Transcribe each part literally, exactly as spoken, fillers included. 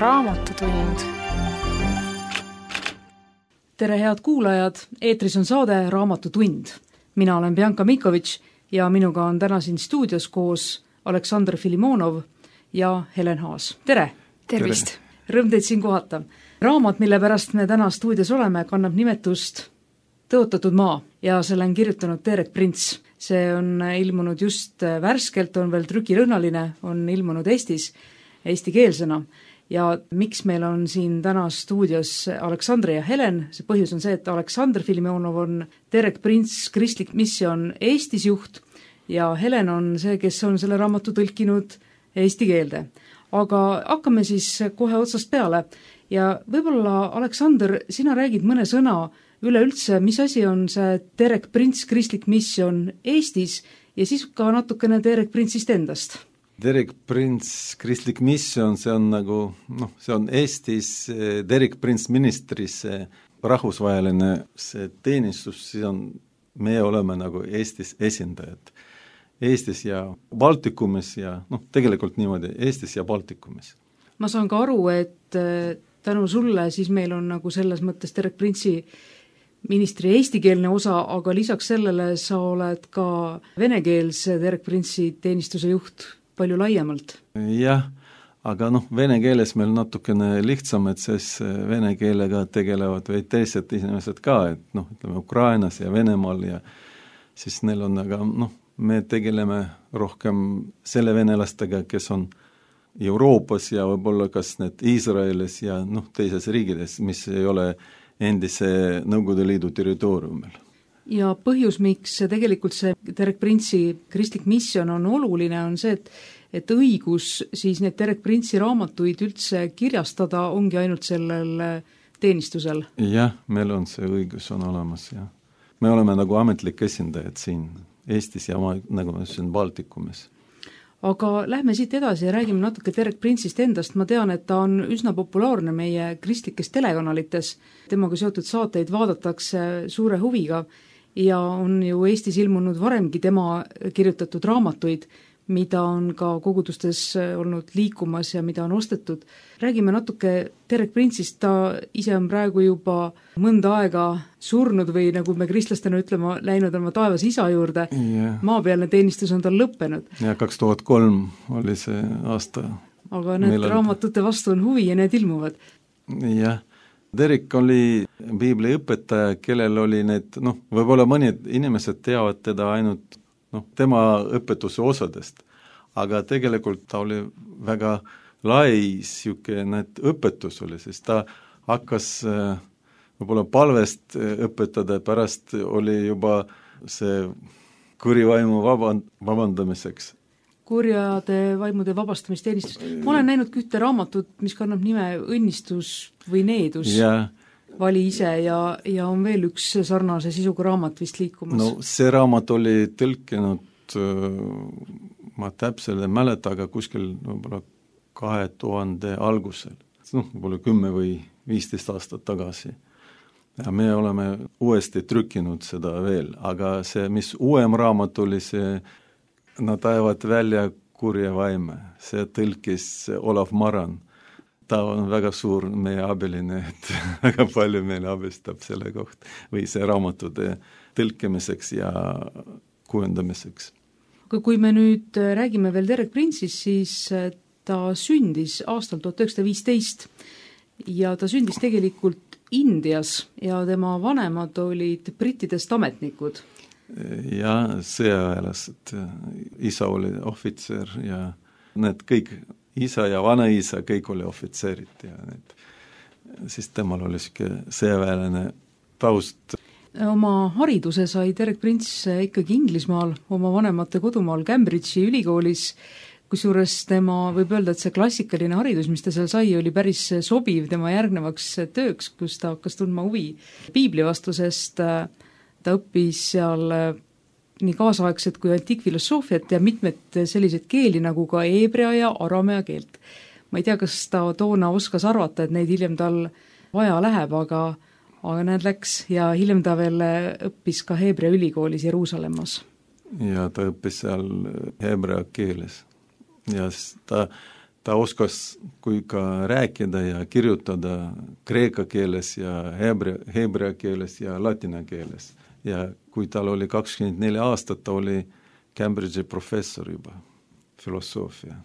Raamatutund. Tere head kuulajad, eetris on saade Raamatutund. Mina olen Bianca Mikovitš ja minuga on täna siin stuudios koos Aleksandr Filimonov ja Helen Haas. Tere! Tervist! Rõõm teid siin kohata. Raamat, mille pärast me täna stuudios oleme, kannab nimetust Tõotatud maa ja selle on kirjutanud Terek Prints. See on ilmunud just värskelt, on veel trükilõhnaline, on ilmunud Eestis eestikeelsena. Ja miks meil on siin täna stuudios Aleksandr ja Helen? See põhjus on see, et Aleksandr Filimonov on Terek Prints Kristlik Misjon Eestis juht ja Helen on see, kes on selle raamatu tõlkinud eesti keelde. Aga hakkame siis kohe otsast peale ja võib-olla, Aleksandr, sina räägid mõne sõna üleüldse, mis asi on see Terek Prints Kristlik Misjon Eestis ja siis ka natukene Terek Printsist endast. Terek Prints Kristlik Misjon, see on nagu, noh, see on Eestis Terek Prints ministris rahvusvaheline see teenistus, siis on, meie oleme nagu Eestis esindajad. Eestis ja Baltikumis ja noh, tegelikult niimoodi Eestis ja Baltikumis. Ma saan ka aru, et tänu sulle siis meil on nagu selles mõttes Terek Printsi ministri eestikeelne osa, aga lisaks sellele sa oled ka venekeelse Terek Printsi teenistuse juht palju laiemalt. Jah, aga noh, vene keeles meil natukene lihtsam, et siis vene keelega tegelevad või teised inimesed ka, et noh, ütleme Ukrainas ja Venemaal ja siis neil on, aga noh, me tegeleme rohkem selle venelastega, kes on Euroopas ja võib-olla kas need Iisraelis ja noh, teises riigides, mis ei ole endise Nõukogude Liidu territooriumil. Ja põhjus, miks tegelikult see Terek Printsi Kristlik Misjon on oluline, on see, et, et õigus siis need Terek Printsi raamatuid üldse kirjastada ongi ainult sellel teenistusel. Jah, meil on see õigus on olemas ja me oleme nagu ametlik esindajad siin Eestis ja ma, nagu ma ütlesin, Baltikumis. Aga lähme siit edasi ja räägime natuke Terek Printsist endast. Ma tean, et ta on üsna populaarne meie kristlikes telekanalites. Temaga seotud saateid vaadatakse suure huviga ja on ju Eestis ilmunud varemgi tema kirjutatud raamatuid, mida on ka kogudustes olnud liikumas ja mida on ostetud. Räägime natuke Terek Printsist, ta ise on praegu juba mõnda aega surnud või nagu me kristlastena ütlema, läinud oma taevas isa juurde. Yeah. Maapealne teenistus on tal lõppenud. Ja kaks tuhat kolm oli see aasta. Aga need Meil raamatute vastu on huvi ja need ilmuvad. Jah, Terek oli piibli õpetaja, kellel oli need, noh, võib-olla mõned inimesed teavad teda ainult noh, tema õpetuse osadest, aga tegelikult ta oli väga lai siuke need õpetus oli, sest ta hakkas võib-olla palvest õpetada, pärast oli juba see kurivaimu vaband, vabandamiseks. Kurjade vaimude vabastamisteenistus. Ma olen näinud ühte raamatut, mis kannab nime Õnnistus või needus. Ja Vali ise ja, ja on veel üks sarnase sisuga raamat vist liikumas. No see raamat oli tõlkinud, ma täpselt ei mäleta, aga kuskil võib-olla kahe tuhande algusel. noh, võib-olla kümme või viisteist aastat tagasi. Ja me oleme uuesti trükkinud seda veel, aga see, mis uuem raamat oli, see nad ajavad välja kurja vaime. See tõlkis Olav Maran. Ta on väga suur meie abiline, et väga palju meile abistab selle koht või see raamatude tõlkimiseks ja kujendamiseks. Kui me nüüd räägime veel Terek Printsist, siis ta sündis aastal tuhat üheksasada viisteist ja ta sündis tegelikult Indias ja tema vanemad olid brittidest ametnikud. Ja sõjaväelased, isa oli ohvitser ja need kõik isa ja vanaisa, kõik oli ohvitserid ja need, siis temal oli sõjaväeline taust. Oma hariduse sai Terek Prints ikkagi Inglismaal, oma vanemate kodumaal Cambridge'i ülikoolis, kusjuures tema võib öelda, et see klassikaline haridus, mis ta seal sai, oli päris sobiv tema järgnevaks tööks, kus ta hakkas tundma huvi piibli vastu, sest ta õppis seal nii kaasaegset kui antiikfilosoofiat ja mitmed selliseid keeli nagu ka heebrea ja aramea keelt. Ma ei tea, kas ta toona oskas arvata, et neid hiljem tal vaja läheb, aga, aga need läks ja hiljem ta veel õppis ka heebrea ülikoolis Jeruusalemmas. Ja ta õppis seal heebrea keeles ja ta ta oskas kui ka rääkida ja kirjutada kreeka keeles ja heebrea, heebrea keeles ja latina keeles. Ja kui tal oli kakskümmend neli aastat, ta oli Cambridge'i professor juba, filosoofia.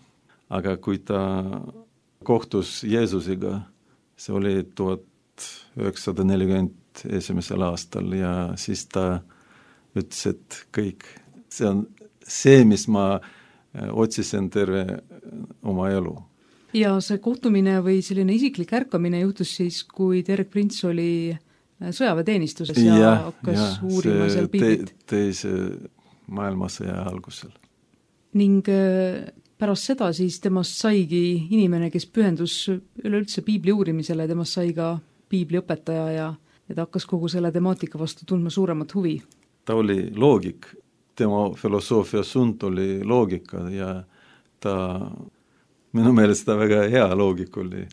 Aga kui ta kohtus Jeesusega, see oli tuhat üheksasada nelikümmend esimesel aastal ja siis ta ütles, et kõik, see on see, mis ma otsisin terve oma elu. Ja see kohtumine või selline isiklik ärkamine juhtus siis, kui Derek Prince oli sõjaväeteenistuses ja, ja hakkas ja, uurima seal piiblit. Te, teise maailmasõja algusel. Ning pärast seda siis temast saigi inimene, kes pühendus üleüldse piibli uurimisele, temast sai ka piibliõpetaja ja, ja ta hakkas kogu selle temaatika vastu tundma suuremat huvi. Ta oli loogik, tema filosoofia sund oli loogika ja ta, minu meelest ta väga hea loogik oli.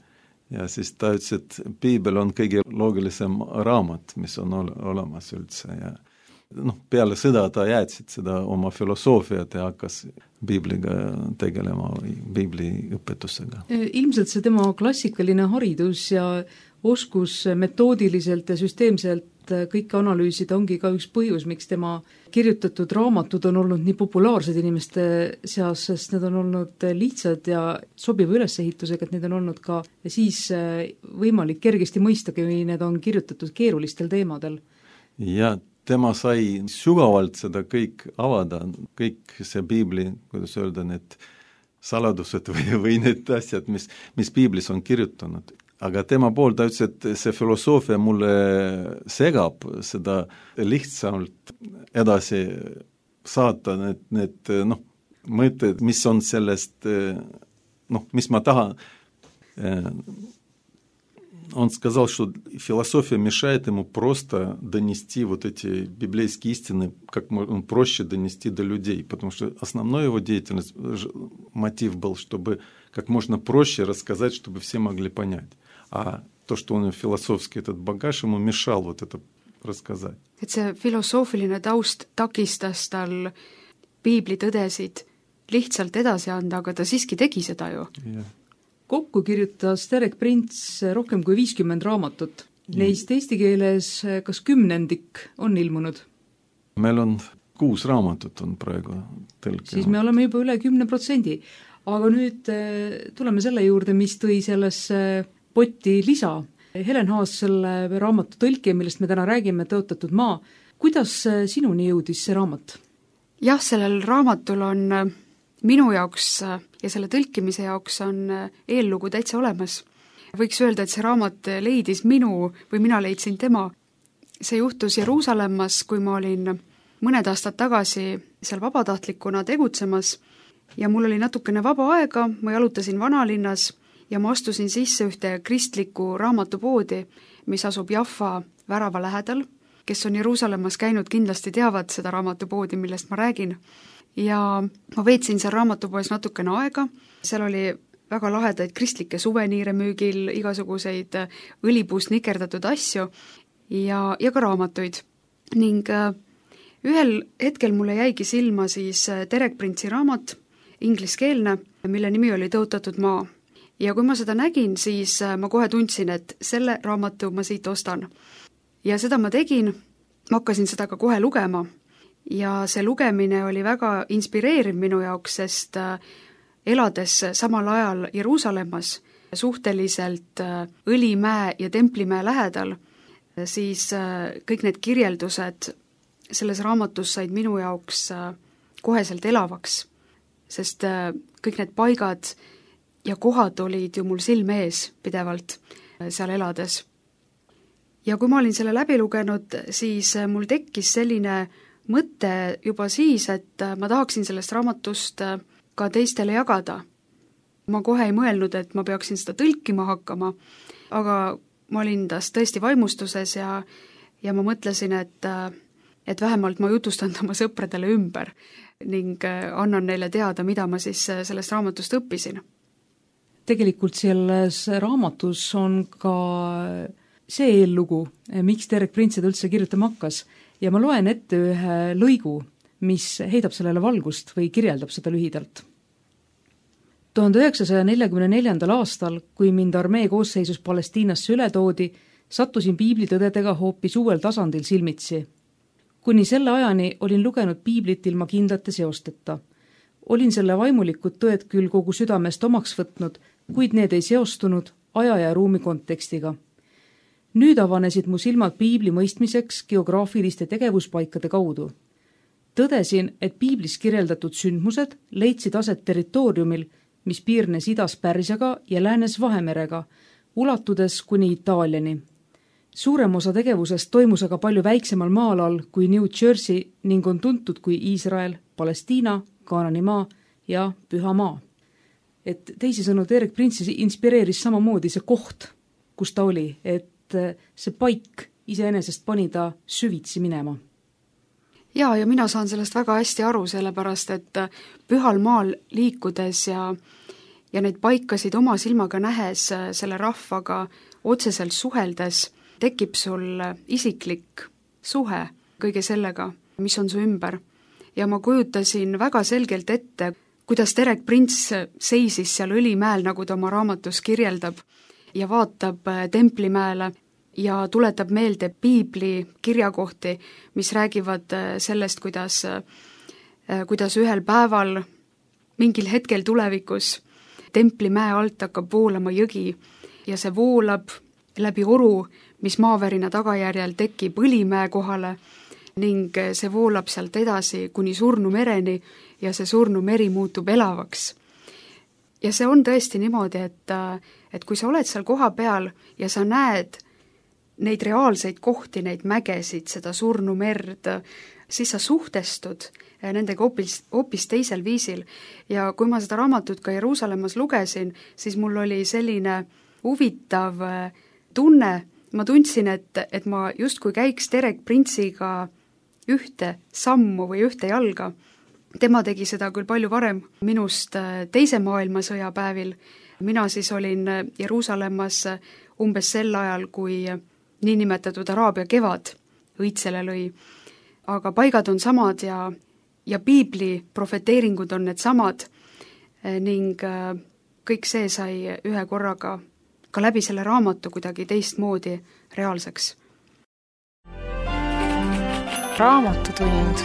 Ja siis ta ütles, et piibel on kõige loogilisem raamat, mis on ol- olemas üldse ja noh, peale sõda ta jäätsid seda oma filosoofiat ja hakkas piibliga tegelema või piibli õpetusega. Ilmselt see tema klassikaline haridus ja oskus metoodiliselt ja süsteemselt kõike analüüsida ongi ka üks põhjus, miks tema kirjutatud raamatud on olnud nii populaarsed inimeste seas, sest need on olnud lihtsad ja sobiva ülesehitusega, et need on olnud ka siis võimalik kergesti mõista, kui need on kirjutatud keerulistel teemadel. Ja tema sai sügavalt seda kõik avada, kõik see piibli, kuidas öelda, need saladused või, või need asjad, mis, mis piiblis on kirjutanud. Aga tema pool ta ütles, et see filosoofia mulle segab seda lihtsalt edasi saata need, need noh, mõtted, mis on sellest, noh, mis ma tahan. Он сказал, что философия мешает ему просто донести вот эти библейские истины, как можно проще донести до людей, потому что основной его деятельность, мотив был, чтобы как можно проще рассказать, чтобы все могли понять. А то, что он философский этот багаж, ему мешал вот это рассказать. Et see filosoofiline taust takistas tal piibli tõdesid lihtsalt edasi anda, aga ta siiski tegi seda ju. Yeah. Kokku kirjutas Derek Prince rohkem kui viiskümmend raamatut. Neist eesti keeles kas kümnendik on ilmunud? Meil on kuus raamatut on praegu tõlkinud. Siis me oleme juba üle kümne protsendi. Aga nüüd tuleme selle juurde, mis tõi sellesse potti lisa. Helen Haas, selle raamatu tõlkija, millest me täna räägime, Tõotatud maa. Kuidas sinuni jõudis see raamat? Jah, sellel raamatul on minu jaoks ja selle tõlkimise jaoks on eellugu täitsa olemas. Võiks öelda, et see raamat leidis minu või mina leidsin tema. See juhtus Jeruusalemmas, kui ma olin mõned aastad tagasi seal vabatahtlikuna tegutsemas ja mul oli natukene vaba aega, ma jalutasin vanalinnas ja ma astusin sisse ühte kristlikku raamatupoodi, mis asub Jaffa värava lähedal. Kes on Jeruusalemmas käinud, kindlasti teavad seda raamatupoodi, millest ma räägin. Ja ma veetsin seal raamatupoes natukene aega, seal oli väga lahedaid kristlikke suveniire müügil, igasuguseid õlipuust nikerdatud asju ja, ja ka raamatuid. Ning ühel hetkel mulle jäigi silma siis Derek Prince'i raamat, ingliskeelne, mille nimi oli Tõotatud maa. Ja kui ma seda nägin, siis ma kohe tundsin, et selle raamatu ma siit ostan. Ja seda ma tegin, ma hakkasin seda ka kohe lugema. Ja see lugemine oli väga inspireeriv minu jaoks, sest elades samal ajal Jeruusalemmas, suhteliselt Õlimäe ja Templimäe lähedal, siis kõik need kirjeldused selles raamatus said minu jaoks koheselt elavaks, sest kõik need paigad ja kohad olid ju mul silme ees pidevalt seal elades. Ja kui ma olin selle läbi lugenud, siis mul tekkis selline mõte juba siis, et ma tahaksin sellest raamatust ka teistele jagada. Ma kohe ei mõelnud, et ma peaksin seda tõlkima hakkama, aga ma olin tast tõesti vaimustuses ja, ja ma mõtlesin, et, et vähemalt ma jutustan oma sõpradele ümber ning annan neile teada, mida ma siis sellest raamatust õppisin. Tegelikult selles raamatus on ka see eellugu, miks Derek Prince üldse kirjutama hakkas. Ja ma loen ette ühe lõigu, mis heidab sellele valgust või kirjeldab seda lühidalt. tuhande üheksasaja neljakümne neljandal aastal, kui mind armee koosseisus Palestiinasse üle toodi, sattusin piiblitõdedega hoopis uuel tasandil silmitsi. Kuni selle ajani olin lugenud piiblit ilma kindlate seosteta. Olin selle vaimulikud tõed küll kogu südamest omaks võtnud, kuid need ei seostunud aja ja ruumi kontekstiga. Nüüd avanesid mu silmad piibli mõistmiseks geograafiliste tegevuspaikade kaudu. Tõdesin, et piiblis kirjeldatud sündmused leidsid aset territooriumil, mis piirnes idas Pärsiaga ja läänes Vahemerega, ulatudes kuni Itaaliani. Suurem osa tegevusest toimus aga palju väiksemal maalal kui New Jersey ning on tuntud kui Iisrael, Palestiina, Kaananimaa ja Pühamaa. Et teisisõnu Derek Prince'i inspireeris samamoodi see koht, kus ta oli, et see paik iseenesest pani ta süvitsi minema. Jaa, ja mina saan sellest väga hästi aru, sellepärast et pühal maal liikudes ja, ja neid paikasid oma silmaga nähes, selle rahvaga otseselt suheldes, tekib sul isiklik suhe kõige sellega, mis on su ümber. Ja ma kujutasin väga selgelt ette, kuidas Derek Prince seisis seal Õlimäel, nagu ta oma raamatus kirjeldab, ja vaatab Templimäele ja tuletab meelde piibli kirjakohti, mis räägivad sellest, kuidas, kuidas ühel päeval, mingil hetkel tulevikus, Templimäe alt hakkab voolama jõgi ja see voolab läbi oru, mis maavärina tagajärjel tekib Õlimäe kohale ning see voolab sealt edasi kuni surnu mereni ja see surnu meri muutub elavaks. Ja see on tõesti niimoodi, et, et kui sa oled seal koha peal ja sa näed neid reaalseid kohti, neid mägesid, seda surnu merd, siis sa suhtestud nendega hoopis, hoopis teisel viisil. Ja kui ma seda raamatut ka Jeruusalemmas lugesin, siis mul oli selline huvitav tunne, ma tundsin, et, et ma justkui käiks Derek Prince'iga ühte sammu või ühte jalga. Tema tegi seda küll palju varem minust teise maailmasõja päevil. Mina siis olin Jeruusalemmas umbes sel ajal, kui niinimetatud Araabia kevad õitsele lõi. Aga paigad on samad ja, ja piibli profeteeringud on need samad ning kõik see sai ühe korraga ka läbi selle raamatu kuidagi teistmoodi reaalseks. Raamatutund.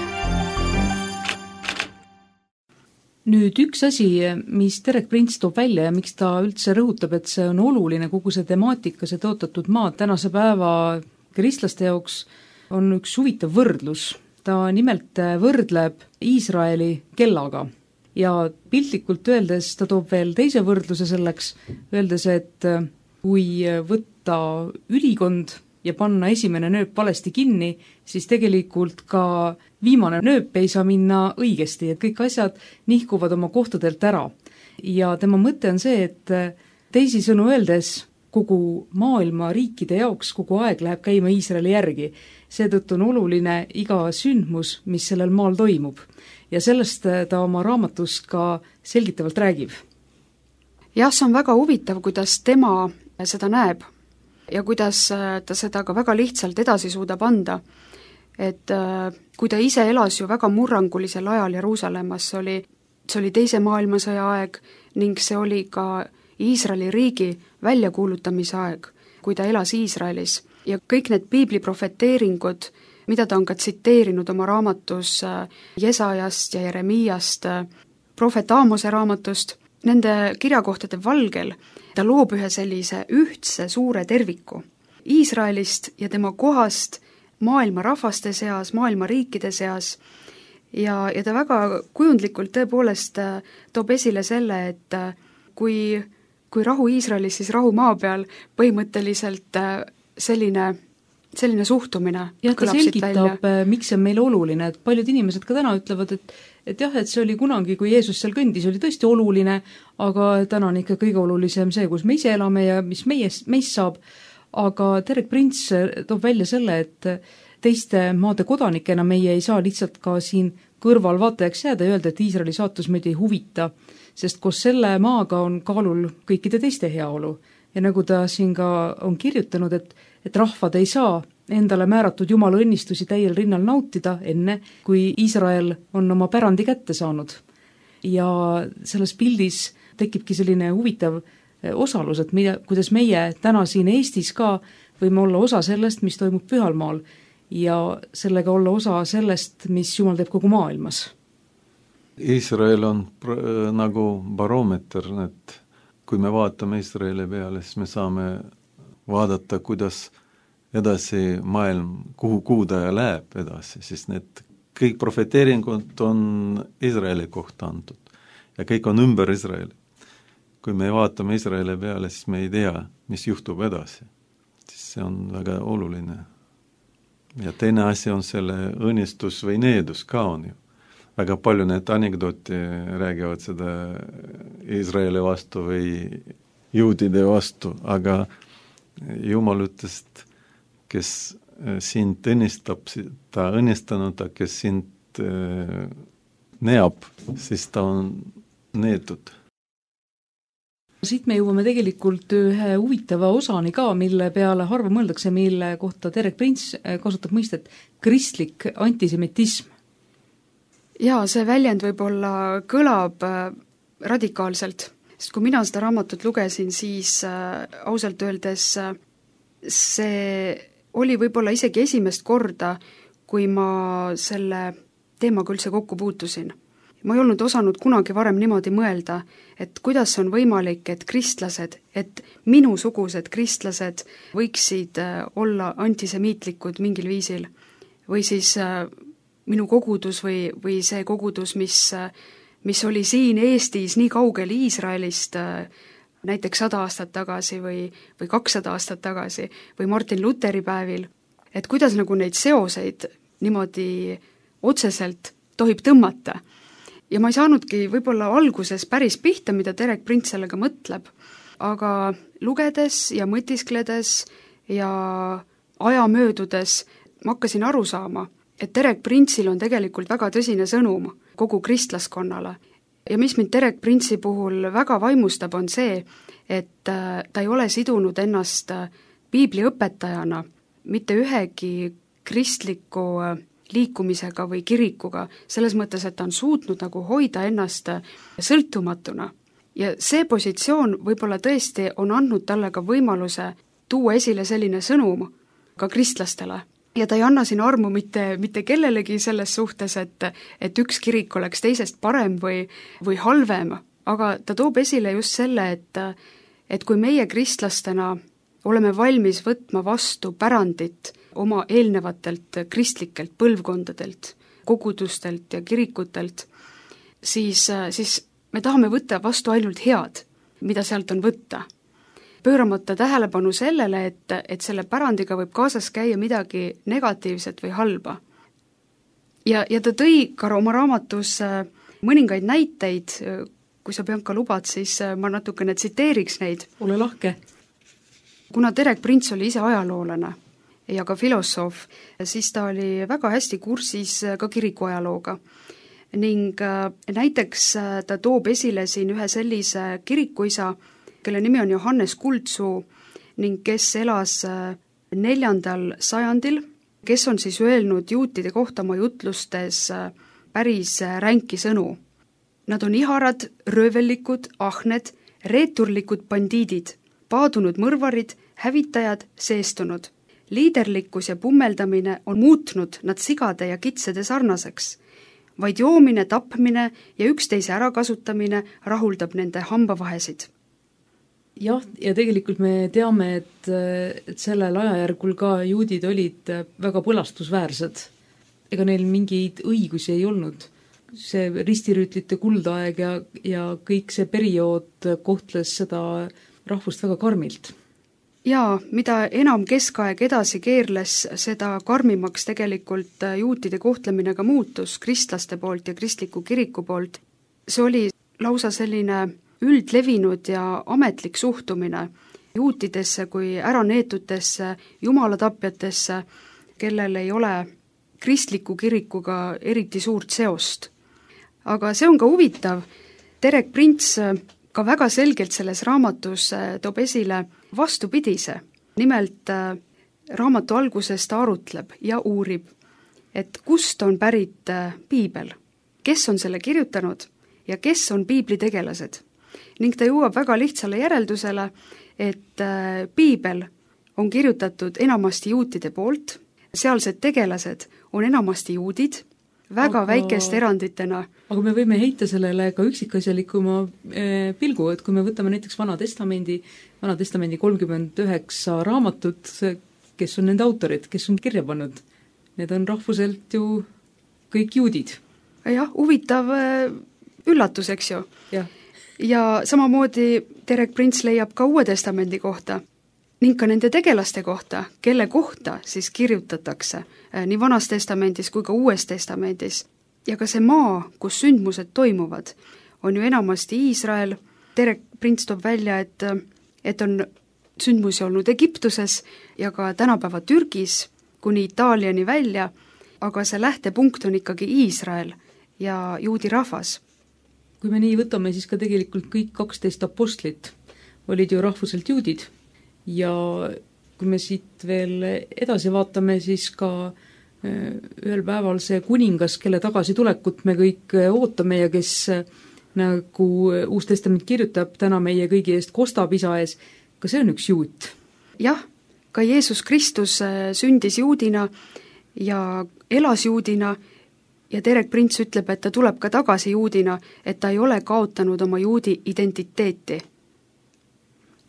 Nüüd üks asi, mis Derek Prince toob välja ja miks ta üldse rõhutab, et see on oluline, kogu see temaatika, see tõotatud maad tänase päeva kristlaste jaoks, on üks huvitav võrdlus. Ta nimelt võrdleb Iisraeli kellaga ja piltlikult öeldes ta toob veel teise võrdluse selleks, öeldes, et kui võtta ülikond ja panna esimene nööp valesti kinni, siis tegelikult ka viimane nööp ei saa minna õigesti, et kõik asjad nihkuvad oma kohtadelt ära. Ja tema mõte on see, et teisisõnu öeldes kogu maailma riikide jaoks kogu aeg läheb käima Iisraeli järgi. Seetõttu on oluline iga sündmus, mis sellel maal toimub. Ja sellest ta oma raamatus ka selgitavalt räägib. Jah, see on väga huvitav, kuidas tema seda näeb ja kuidas ta seda ka väga lihtsalt edasi suudab anda. Et kui ta ise elas ju väga murrangulisel ajal Jeruusalemmas, see oli, see oli teise maailmasõja aeg ning see oli ka Iisraeli riigi väljakuulutamise aeg, kui ta elas Iisraelis. Ja kõik need piibli profeteeringud, mida ta on ka tsiteerinud oma raamatus Jesajast ja Jeremiast, prohvet Aamose raamatust, nende kirjakohtade valgel ta loob ühe sellise ühtse suure terviku Iisraelist ja tema kohast maailma rahvaste seas, maailma riikide seas ja, ja ta väga kujundlikult tõepoolest toob esile selle, et kui, kui rahu Iisraelis, siis rahu maa peal, põhimõtteliselt selline selline suhtumine jah, ta selgitab, miks see on meile oluline, et paljud inimesed ka täna ütlevad, et, et jah, et see oli kunagi, kui Jeesus seal kõndis, oli tõesti oluline, aga täna on ikka kõige olulisem see, kus me ise elame ja mis meie, meist saab, aga Derek Prince toob välja selle, et teiste maade kodanikena meie ei saa lihtsalt ka siin kõrval vaatajaks jääda ja öelda, et Iisraeli saatus meid ei huvita, sest koos selle maaga on kaalul kõikide teiste heaolu. Ja nagu ta siin ka on kirjutanud, et, et rahvad ei saa endale määratud Jumala õnnistusi täiel rinnal nautida enne, kui Iisrael on oma pärandi kätte saanud. Ja selles pildis tekibki selline huvitav osalus, et mida, kuidas meie täna siin Eestis ka võime olla osa sellest, mis toimub pühalmaal ja sellega olla osa sellest, mis Jumal teeb kogu maailmas. Iisrael on pr- nagu baroometer, et kui me vaatame Iisraeli peale, siis me saame vaadata, kuidas edasi maailm, kuhu kuudaja läheb edasi, siis need kõik profeteeringud on Iisraeli kohta antud ja kõik on ümber Iisraeli. Kui me vaatame Iisraeli peale, siis me ei tea, mis juhtub edasi. Siis see on väga oluline. Ja teine asi on selle õnnistus või needus ka on ju. Väga palju need anekdooti räägivad seda Iisraeli vastu või juudide vastu, aga Jumal ütles, kes sind õnnistab, ta õnnistanud, kes sind neab, siis ta on neetud. Siit me jõuame tegelikult ühe huvitava osani ka, mille peale harva mõeldakse, mille kohta Derek Prince kasutab mõistet kristlik antisemitism. Jaa, see väljend võib-olla kõlab radikaalselt, sest kui mina seda raamatut lugesin, siis äh, ausalt öeldes äh, see oli võib-olla isegi esimest korda, kui ma selle teemaga üldse kokku puutusin. Ma ei olnud osanud kunagi varem niimoodi mõelda, et kuidas on võimalik, et kristlased, et minusugused kristlased võiksid olla antisemiitlikud mingil viisil. Või siis minu kogudus või, või see kogudus, mis, mis oli siin Eestis nii kaugel Iisraelist näiteks sada aastat tagasi või, või kakssada aastat tagasi või Martin Luteri päevil, et kuidas nagu neid seoseid niimoodi otseselt tohib tõmmata. Ja ma ei saanudki võib-olla alguses päris pihta, mida Derek Prince sellega mõtleb, aga lugedes ja mõtiskledes ja aja möödudes ma hakkasin aru saama, et Derek Prince'il on tegelikult väga tõsine sõnum kogu kristlaskonnale. Ja mis mind Derek Prince'i puhul väga vaimustab, on see, et ta ei ole sidunud ennast piibliõpetajana mitte ühegi kristliku liikumisega või kirikuga, selles mõttes, et ta on suutnud nagu hoida ennast sõltumatuna. Ja see positsioon võib-olla tõesti on andnud talle ka võimaluse tuua esile selline sõnum ka kristlastele. Ja ta ei anna siin armu mitte, mitte kellelegi selles suhtes, et, et üks kirik oleks teisest parem või, või halvem, aga ta toob esile just selle, et, et kui meie kristlastena oleme valmis võtma vastu pärandit oma eelnevatelt kristlikelt põlvkondadelt, kogudustelt ja kirikutelt, siis, siis me tahame võtta vastu ainult head, mida sealt on võtta. Pööramata tähelepanu sellele, et, et selle pärandiga võib kaasas käia midagi negatiivset või halba. Ja, ja ta tõi ka oma raamatus mõningaid näiteid, kui sa, Bianca, lubad, siis ma natukene tsiteeriks neid. Ole lahke. Kuna Derek Prince oli ise ajaloolane ja ka filosoof, siis ta oli väga hästi kursis ka kirikuajalooga. Ning näiteks ta toob esile siin ühe sellise kirikuisa, kelle nimi on Johannes Kuldsuu ning kes elas neljandal sajandil, kes on siis öelnud juutide kohta oma jutlustes päris ränki sõnu. Nad on iharad, röövellikud, ahned, reeturlikud bandiidid, paadunud mõrvarid, hävitajad, seestunud. Liiderlikkus ja pummeldamine on muutnud nad sigade ja kitsede sarnaseks. Vaid joomine, tapmine ja üksteise ärakasutamine rahuldab nende hambavahesid. Jah, ja tegelikult me teame, et, et sellel ajajärgul ka juudid olid väga põlastusväärsed. Ega neil mingeid õigusi ei olnud. See ristirüütlite kuldaeg ja, ja kõik see periood kohtles seda rahvust väga karmilt. Jaa, mida enam keskaeg edasi keerles, seda karmimaks tegelikult juutide kohtlemine ka muutus kristlaste poolt ja kristliku kiriku poolt. See oli lausa selline üldlevinud ja ametlik suhtumine juutidesse kui äraneetutesse, jumalatapjatesse, kellel ei ole kristliku kirikuga eriti suurt seost. Aga see on ka huvitav, Derek Prince ka väga selgelt selles raamatus toob esile vastupidise. Nimelt raamatu alguses ta arutleb ja uurib, et kust on pärit piibel, kes on selle kirjutanud ja kes on piibli tegelased. ning ta jõuab väga lihtsale järeldusele, et piibel on kirjutatud enamasti juutide poolt, sealsed tegelased on enamasti juudid, väga aga, väikeste eranditena. Aga me võime heita sellele ka üksikasjalikuma pilgu, et kui me võtame näiteks Vana Testamendi, Vana Testamendi kolmkümmend üheksa raamatut, kes on nende autorid, kes on kirja pannud, need on rahvuselt ju kõik juudid. Jah, huvitav üllatus, eks ju. Jah. Ja samamoodi Derek Prince leiab ka Uue Testamendi kohta ning ka nende tegelaste kohta, kelle kohta siis kirjutatakse nii Vanas Testamendis kui ka Uues Testamendis. Ja ka see maa, kus sündmused toimuvad, on ju enamasti Iisrael. Derek Prince toob välja, et, et on sündmusi olnud Egiptuses ja ka tänapäeva Türgis kuni Itaaliani välja, aga see lähtepunkt on ikkagi Iisrael ja juudi rahvas. Kui me nii võtame, siis ka tegelikult kõik kaksteist apostlit olid ju rahvuselt juudid ja kui me siit veel edasi vaatame, siis ka ühel päeval see kuningas, kelle tagasitulekut me kõik ootame ja kes, nagu Uus Testament kirjutab, täna meie kõigi eest kostab isa ees, ka see on üks juut. Jah, ka Jeesus Kristus sündis juudina ja elas juudina ja Derek Prince ütleb, et ta tuleb ka tagasi juudina, et ta ei ole kaotanud oma juudi identiteeti.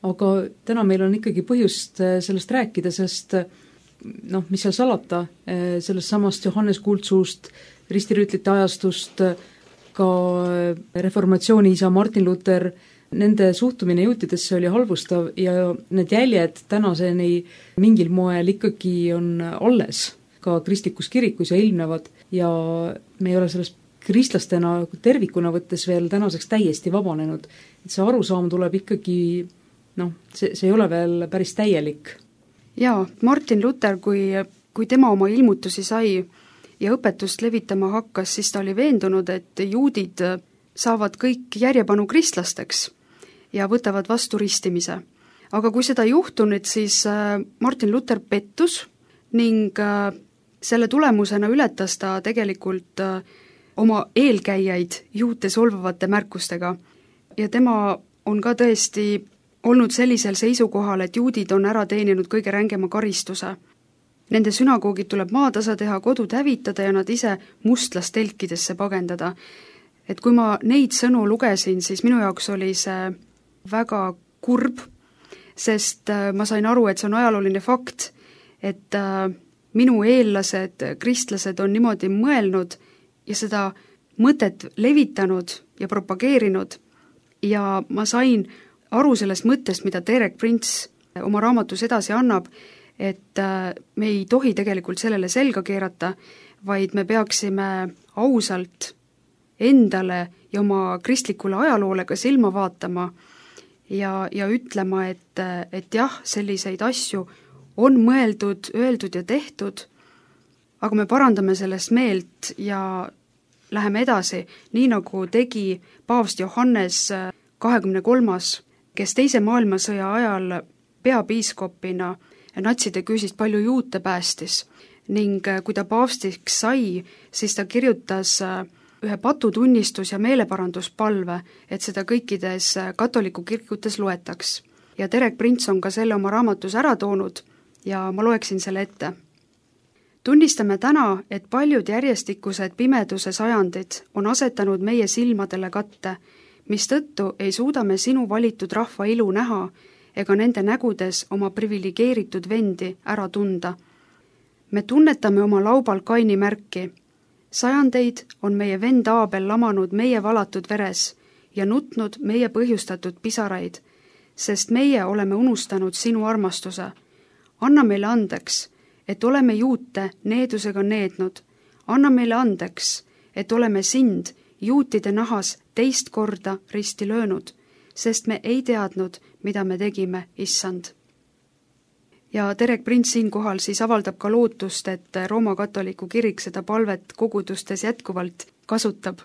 Aga täna meil on ikkagi põhjust sellest rääkida, sest noh, mis seal salata, sellest samast Johannes Kuldsuust, ristirüütlite ajastust, ka reformatsiooni isa Martin Luther, nende suhtumine juutidesse oli halvustav ja need jäljed tänaseni mingil moel ikkagi on alles ka kristlikus kirikus ja ilmnevad ja me ei ole sellest kristlastena tervikuna võttes veel tänaseks täiesti vabanenud. Et see arusaam tuleb ikkagi, noh, see, see ei ole veel päris täielik. Jaa, Martin Luther, kui, kui tema oma ilmutusi sai ja õpetust levitama hakkas, siis ta oli veendunud, et juudid saavad kõik järjepanu kristlasteks ja võtavad vastu ristimise. Aga kui seda juhtunud, siis Martin Luther pettus ning selle tulemusena ületas ta tegelikult oma eelkäijaid juute solvavate märkustega ja tema on ka tõesti olnud sellisel seisukohal, et juudid on ära teeninud kõige rängema karistuse. Nende sünagoogid tuleb maatasa teha, kodud hävitada ja nad ise mustlastelkidesse pagendada. Et kui ma neid sõnu lugesin, siis minu jaoks oli see väga kurb, sest ma sain aru, et see on ajalooline fakt, et minu eellased, kristlased on niimoodi mõelnud ja seda mõtet levitanud ja propageerinud ja ma sain aru sellest mõttest, mida Derek Prince oma raamatus edasi annab, et me ei tohi tegelikult sellele selga keerata, vaid me peaksime ausalt endale ja oma kristlikule ajaloole ka silma vaatama ja, ja ütlema, et, et jah, selliseid asju on mõeldud, öeldud ja tehtud, aga me parandame sellest meelt ja läheme edasi, nii nagu tegi paavst Johannes kahekümne kolmas, kes teise maailmasõja ajal peapiiskopina natside küüsist palju juute päästis ning kui ta paavstiks sai, siis ta kirjutas ühe patutunnistus- ja meeleparanduspalve, et seda kõikides katoliku kirikutes loetaks. Ja Derek Prince on ka selle oma raamatus ära toonud ja ma loeksin selle ette. Tunnistame täna, et paljud järjestikused pimeduse sajandid on asetanud meie silmadele katte, mistõttu ei suuda me sinu valitud rahva ilu näha ega nende nägudes oma priviligeeritud vendi ära tunda. Me tunnetame oma laubal Kaini märki. Sajandeid on meie vend Aabel lamanud meie valatud veres ja nutnud meie põhjustatud pisaraid, sest meie oleme unustanud sinu armastuse. Anna meile andeks, et oleme juute needusega neednud. Anna meile andeks, et oleme sind juutide nahas teist korda risti löönud, sest me ei teadnud, mida me tegime, issand. Ja Derek Prince siinkohal siis avaldab ka lootust, et Rooma katoliku kirik seda palvet kogudustes jätkuvalt kasutab.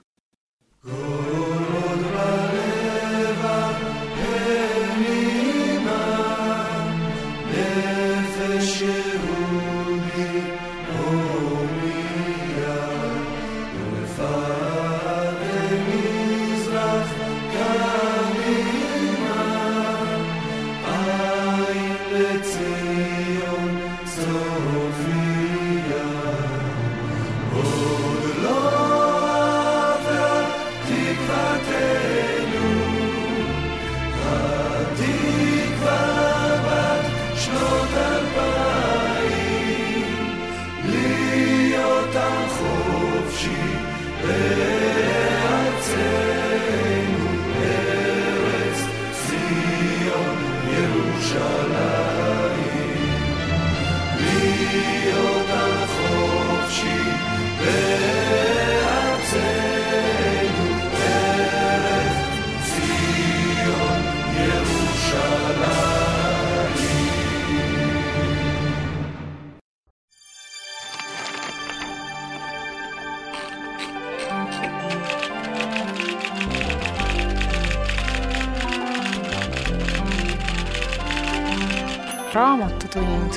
Come raamatutund.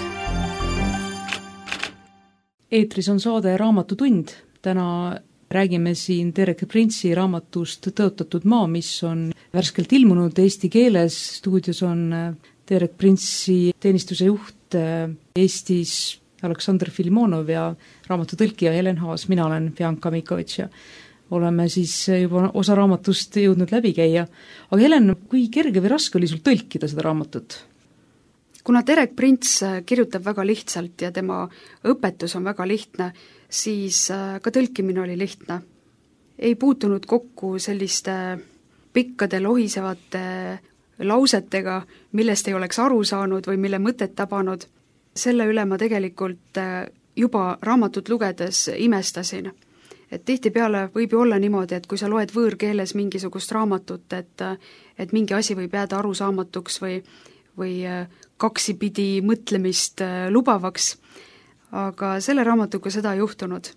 Eetris on saade Raamatutund. Täna räägime siin Terek Printsi raamatust Tõotatud maa, mis on värskelt ilmunud eesti keeles. Stuudios on Terek Printsi teenistuse juht Eestis Aleksandr Filimonov ja raamatutõlkija Helen Haas. Mina olen Bianca Mikovitš ja oleme siis juba osa raamatust jõudnud läbi käia. Aga Helen, kui kerge või raske oli sul tõlkida seda raamatut? Kuna Terek Prints kirjutab väga lihtsalt ja tema õpetus on väga lihtne, siis ka tõlkimine oli lihtne. Ei puutunud kokku selliste pikkade lohisevate lausetega, millest ei oleks aru saanud või mille mõtet tabanud. Selle üle ma tegelikult juba raamatut lugedes imestasin. Et tihtipeale võib ju olla niimoodi, et kui sa loed võõrkeeles mingisugust raamatut, et, et mingi asi võib jääda arusaamatuks või või kaksipidi mõtlemist lubavaks, aga selle raamatuga seda ei juhtunud.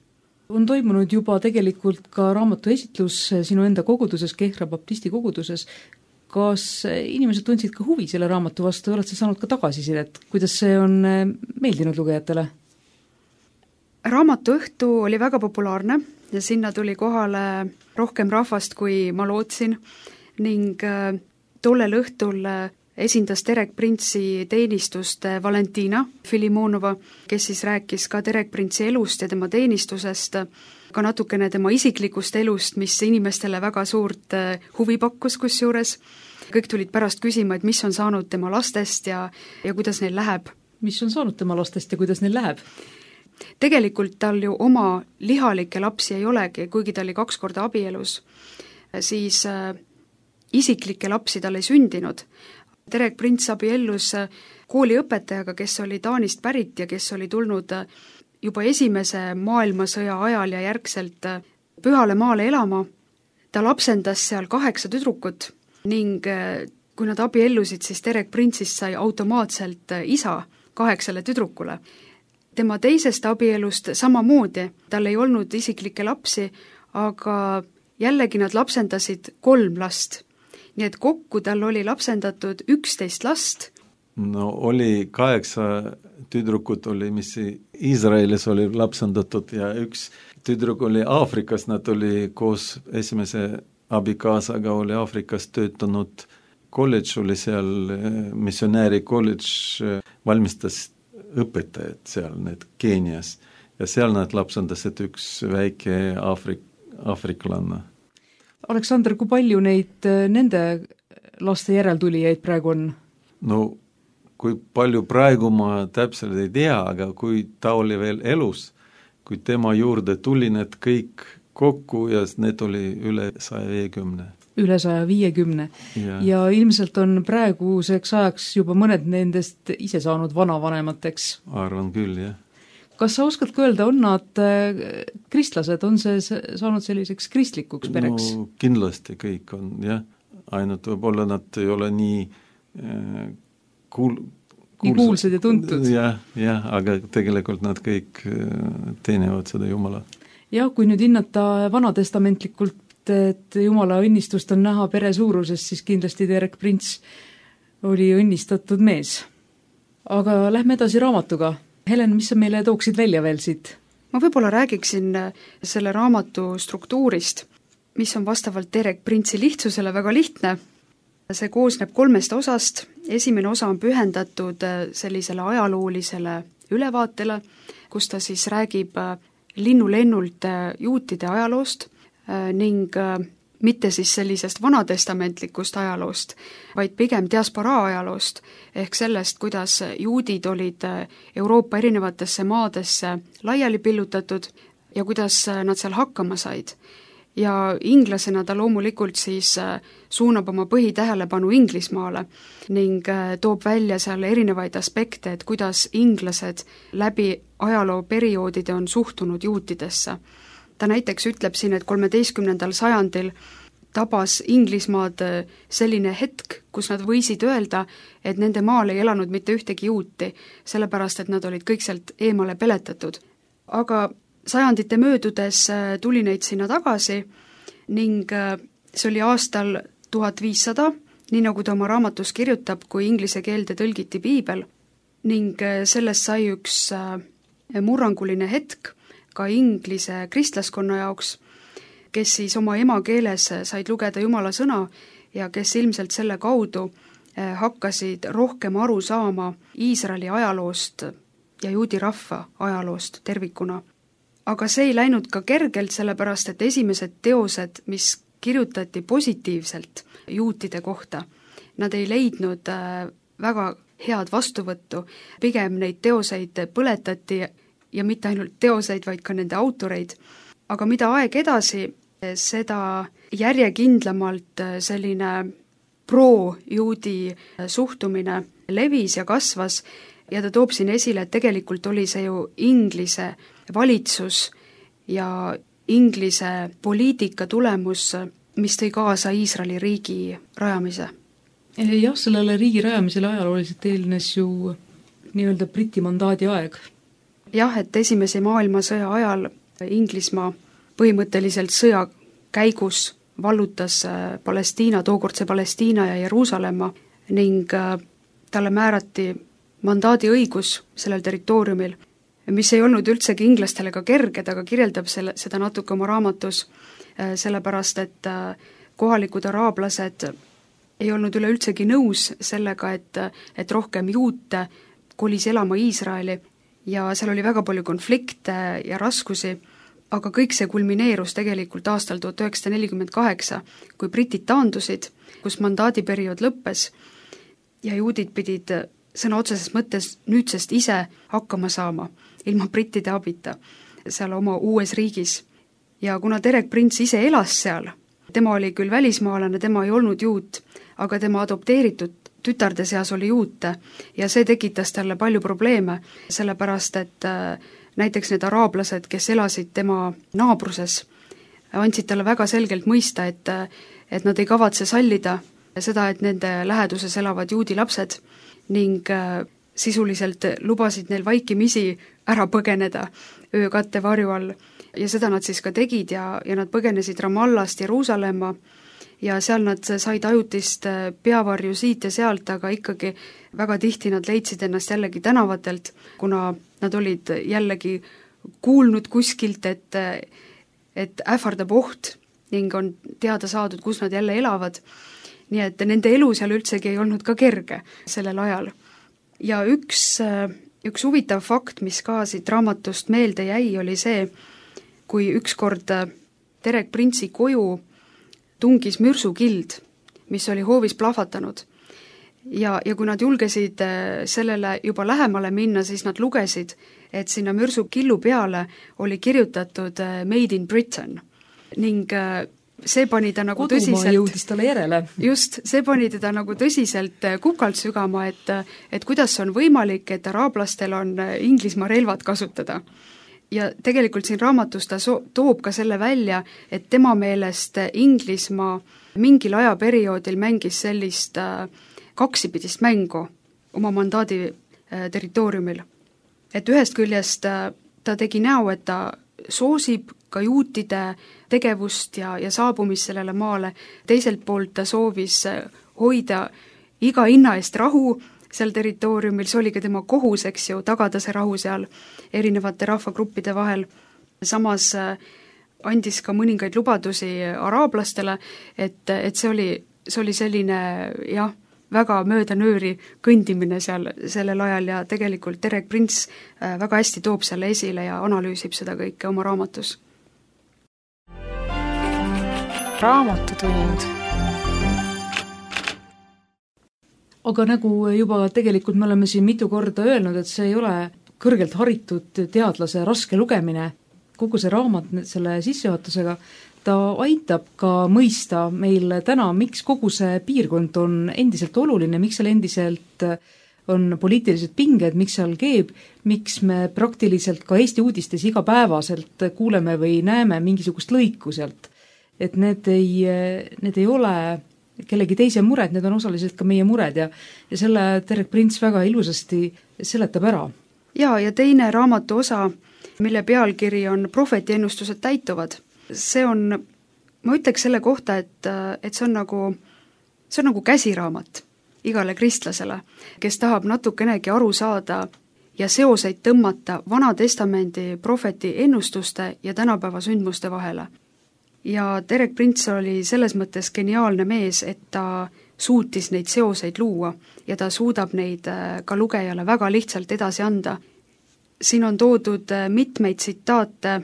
On toimunud juba tegelikult ka raamatu esitlus sinu enda koguduses, Kehra baptisti koguduses. Kas inimesed tundsid ka huvi selle raamatu vastu, oled sa saanud ka tagasisidet? Kuidas see on meeldinud lugejatele? Raamatu õhtu oli väga populaarne ja sinna tuli kohale rohkem rahvast, kui ma lootsin ning tollel õhtul esindas Terek Printsi teenistust Valentina Filimonova, kes siis rääkis ka Terek Printsi elust ja tema teenistusest, ka natukene tema isiklikust elust, mis inimestele väga suurt huvi pakkus kusjuures. Kõik tulid pärast küsima, et mis on saanud tema lastest ja, ja kuidas neil läheb. Mis on saanud tema lastest ja kuidas neil läheb? Tegelikult tal ju oma lihalikke lapsi ei olegi, kuigi ta oli kaks korda abielus, siis isiklikke lapsi tal ei sündinud. Terek Prints abiellus kooliõpetajaga, kes oli Taanist pärit ja kes oli tulnud juba esimese maailmasõja ajal ja järgselt Pühale maale elama. Ta lapsendas seal kaheksa tüdrukut ning kui nad abiellusid, siis Terek Printsist sai automaatselt isa kaheksale tüdrukule. Tema teisest abielust samamoodi, tal ei olnud isiklikke lapsi, aga jällegi nad lapsendasid kolm last. Nii et kokku tal oli lapsendatud üksteist last. No oli kaheksa tüdrukut oli, mis Iisraelis oli lapsendatud ja üks tüdruk oli Aafrikas, nad oli koos esimese abikaasaga oli Aafrikas töötanud kolledž, oli seal missionääri kolledž, valmistas õpetajad seal, need Keenias ja seal nad lapsendasid üks väike Aafrik, aafriklanna. Aleksandr, kui palju neid nende laste järeltulijaid praegu on? No kui palju praegu ma täpselt ei tea, aga kui ta oli veel elus, kui tema juurde tuli need kõik kokku ja need oli üle saja viiekümne. Üle saja viiekümne. Ja. ja ilmselt on praeguseks ajaks juba mõned nendest ise saanud vanavanemateks. Arvan küll, jah. Kas sa oskad ka öelda, on nad kristlased, on see saanud selliseks kristlikuks pereks? No kindlasti kõik on, jah. Ainult võib-olla nad ei ole nii kuul, nii kuulsad ja tuntud. Jah, jah, aga tegelikult nad kõik teenivad seda Jumala. Ja kui nüüd hinnata vanatestamentlikult, et Jumala õnnistust on näha pere suurusest, siis kindlasti Terek Prints oli õnnistatud mees. Aga lähme edasi raamatuga. Helen, mis sa meile tooksid välja veel siit? Ma võib-olla räägiksin selle raamatu struktuurist, mis on vastavalt Terek Printsi lihtsusele väga lihtne. See koosneb kolmest osast. Esimene osa on pühendatud sellisele ajaloolisele ülevaatele, kus ta siis räägib linnulennult juutide ajaloost ning mitte siis sellisest vanatestamentlikust ajaloost, vaid pigem diasporaa ajaloost, ehk sellest, kuidas juudid olid Euroopa erinevatesse maadesse laiali pillutatud ja kuidas nad seal hakkama said. Ja inglasena ta loomulikult siis suunab oma põhitähelepanu Inglismaale ning toob välja seal erinevaid aspekte, et kuidas inglased läbi ajalooperioodid on suhtunud juutidesse. Ta näiteks ütleb siin, et kolmeteistkümnendal sajandil tabas Inglismaad selline hetk, kus nad võisid öelda, et nende maal ei elanud mitte ühtegi juuti, sellepärast et nad olid kõik sealt eemale peletatud. Aga sajandite möödudes tuli neid sinna tagasi ning see oli aastal tuhat viissada, nii nagu ta oma raamatus kirjutab, kui inglise keelde tõlgiti piibel, ning sellest sai üks murranguline hetk ka inglise kristlaskonna jaoks, kes siis oma emakeeles said lugeda Jumala sõna ja kes ilmselt selle kaudu hakkasid rohkem aru saama Iisraeli ajaloost ja juudi rahva ajaloost tervikuna. Aga see ei läinud ka kergelt, sellepärast et esimesed teosed, mis kirjutati positiivselt juutide kohta, nad ei leidnud väga head vastuvõttu, pigem neid teoseid põletati ja mitte ainult teoseid, vaid ka nende autoreid. Aga mida aeg edasi, seda järjekindlamalt selline pro-juudi suhtumine levis ja kasvas ja ta toob siin esile, et tegelikult oli see ju Inglise valitsus ja Inglise poliitika tulemus, mis tõi kaasa Iisraeli riigi rajamise. Jah, sellele riigi rajamisele ajalooliselt eelnes ju nii-öelda Briti mandaadi aeg. Jah, et esimese maailmasõja ajal Inglismaa põhimõtteliselt sõja käigus vallutas Palestiina, tookordse Palestiina ja Jeruusalemma ning talle määrati mandaadi õigus sellel territooriumil, mis ei olnud üldsegi inglastele ka kerged, aga kirjeldab selle, seda natuke oma raamatus, sellepärast et kohalikud araablased ei olnud üleüldsegi nõus sellega, et, et rohkem juute kolis elama Iisraeli ja seal oli väga palju konflikte ja raskusi, aga kõik see kulmineerus tegelikult aastal tuhat üheksasada nelikümmend kaheksa, kui britid taandusid, kus mandaadiperiood lõppes ja juudid pidid sõna otseses mõttes nüüdsest ise hakkama saama, ilma brittide abita, seal oma uues riigis. Ja kuna Derek Prince ise elas seal, tema oli küll välismaalane, tema ei olnud juut, aga tema adopteeritud tütarde seas oli juute ja see tekitas talle palju probleeme, sellepärast et näiteks need araablased, kes elasid tema naabruses, andsid talle väga selgelt mõista, et, et nad ei kavatse sallida seda, et nende läheduses elavad juudi lapsed ning sisuliselt lubasid neil vaikimisi ära põgeneda öökatte varju all. Ja seda nad siis ka tegid ja, ja nad põgenesid Ramallast Jeruusalemma ja seal nad said ajutist peavarju siit ja sealt, aga ikkagi väga tihti nad leidsid ennast jällegi tänavatelt, kuna nad olid jällegi kuulnud kuskilt, et, et ähvardab oht ning on teada saadud, kus nad jälle elavad. Nii et nende elu seal üldsegi ei olnud ka kerge sellel ajal. Ja üks, üks huvitav fakt, mis ka siit raamatust meelde jäi, oli see, kui ükskord Derek Prince'i koju tungis mürsukild, mis oli hoovis plahvatanud. Ja, ja kui nad julgesid sellele juba lähemale minna, siis nad lugesid, et sinna mürsukillu peale oli kirjutatud Made in Britain. Ning see pani ta nagu Kodumaa tõsiselt... jõudis talle järele. Just, see pani teda nagu tõsiselt kukalt sügama, et, et kuidas on võimalik, et araablastel on Inglismaa relvad kasutada. Ja tegelikult siin raamatus ta so- toob ka selle välja, et tema meelest Inglismaa mingil ajaperioodil mängis sellist kaksipidist mängu oma mandaadi territooriumil. Et ühest küljest ta tegi näo, et ta soosib ka juutide tegevust ja, ja saabumist sellele maale, teiselt poolt ta soovis hoida iga hinna eest rahu seal territooriumil, see oli ka tema kohus, eks ju, tagada see rahu seal erinevate rahvagruppide vahel. Samas andis ka mõningaid lubadusi araablastele, et, et see oli, see oli selline, jah, väga möödanööri kõndimine seal sellel ajal ja tegelikult Derek Prince väga hästi toob selle esile ja analüüsib seda kõike oma raamatus. Raamatutund. Aga nagu juba tegelikult me oleme siin mitu korda öelnud, et see ei ole kõrgelt haritud teadlase raske lugemine, kogu see raamat selle sissejuhatusega, ta aitab ka mõista meil täna, miks kogu see piirkond on endiselt oluline, miks seal endiselt on poliitilised pinged, miks seal keeb, miks me praktiliselt ka Eesti uudistes igapäevaselt kuuleme või näeme mingisugust lõiku sealt. Et need ei, need ei ole kellegi teise mured, need on osaliselt ka meie mured ja, ja selle Derek Prince väga ilusasti seletab ära. Jaa, ja teine raamatu osa, mille pealkiri on Prohvetiennustused täituvad. See on, ma ütleks selle kohta, et, et see on nagu, see on nagu käsiraamat igale kristlasele, kes tahab natukenegi aru saada ja seoseid tõmmata Vana Testamendi prohveti ennustuste ja tänapäeva sündmuste vahele. Ja Derek Prince oli selles mõttes geniaalne mees, et ta suutis neid seoseid luua ja ta suudab neid ka lugejale väga lihtsalt edasi anda. Siin on toodud mitmeid tsitaate